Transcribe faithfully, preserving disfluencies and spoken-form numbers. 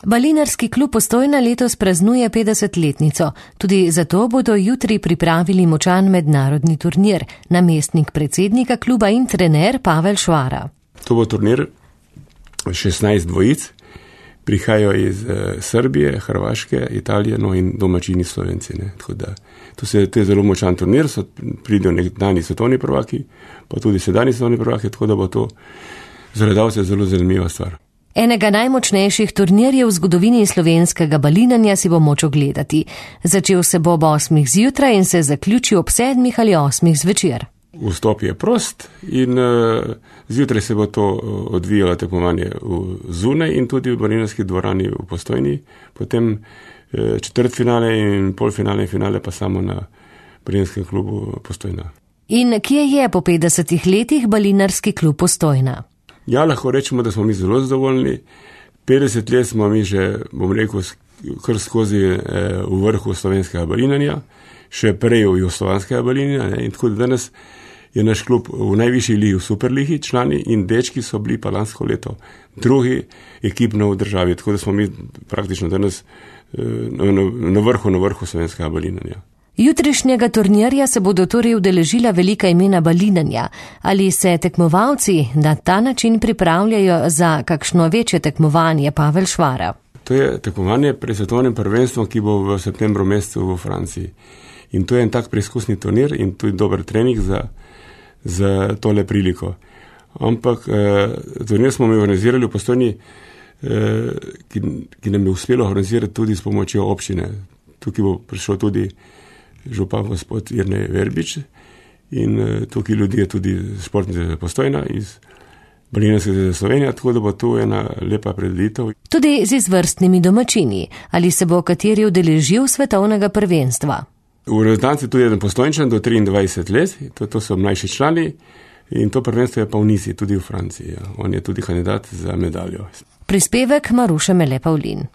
Balinarski klub Postojna letos praznuje petdesetletnico. Tudi zato bodo jutri pripravili močan mednarodni turnir. Namestnik predsednika kluba in trener Pavel Švara. To bo turnir šestnajst dvojic. Prihajajo iz Srbije, Hrvaške, Italije, no in domačini Slovenci. Ne. Tako da, to, se, to je zelo močan turnir, so, pridejo nekdanji svetovni prvaki, pa tudi sedanji svetovni prvaki, tako da bo to za gledalce zelo zanimiva stvar. Enega najmočnejših turnirjev v zgodovini slovenskega balinanja si bo moč ogledati. Začel se bo ob osmih zjutraj in se zaključil ob sedmih ali osmih zvečer. Vstop je prost in uh, zjutraj se bo to odvijalo tekmovanje zunaj in tudi v balinarski dvorani v Postojni, potem uh, četrtfinale in polfinale in finale pa samo na balinarskem klubu Postojna. In kje je po petdesetih letih balinarski klub Postojna? Ja, lahko rečemo, da smo mi zelo zadovoljni. petdeset let smo mi že, bom rekel, kar skozi eh, v vrhu slovenskega balinanja, še prej v jugoslovanskega balinanja. In tako da danes je naš klub v najvišji ligi, v superligi člani in dečki so bili pa lansko leto drugi ekipno v državi. Tako da smo mi praktično danes eh, na, na vrhu, na vrhu slovenskega balinanja. Jutrišnjega turnirja se bodo torej udeležila velika imena balinanja. Ali se tekmovalci na ta način pripravljajo za kakšno večje tekmovanje, Pavel Švara? To je tekmovanje pred svetovnim prvenstvom, ki bo v septembru mesecu v Franciji. In to je en tak preizkusni turnir in tudi dober trening za, za tole priliko. Ampak eh, turnir smo mi organizirali v Postojni, eh, ki, ki nam je uspelo organizirati tudi s pomočjo občine. Tukaj bo prišel tudi župan gospod Jernej Verbič in uh, tukaj ljudi je tudi športnice Postojna iz Balinarske zveze Slovenije, tako da bo tu ena lepa predstavitev. Tudi z izvrstnimi domačini. Ali se bo kateri udeležil svetovnega prvenstva? V reprezentanci tudi jedan Postojnčan do triindvajset let, to, to so mlajši člani in to prvenstvo je pa v Nisi, tudi v Franciji. Ja. On je tudi kandidat za medaljo. Prispevek Maruše Mele Pavlin.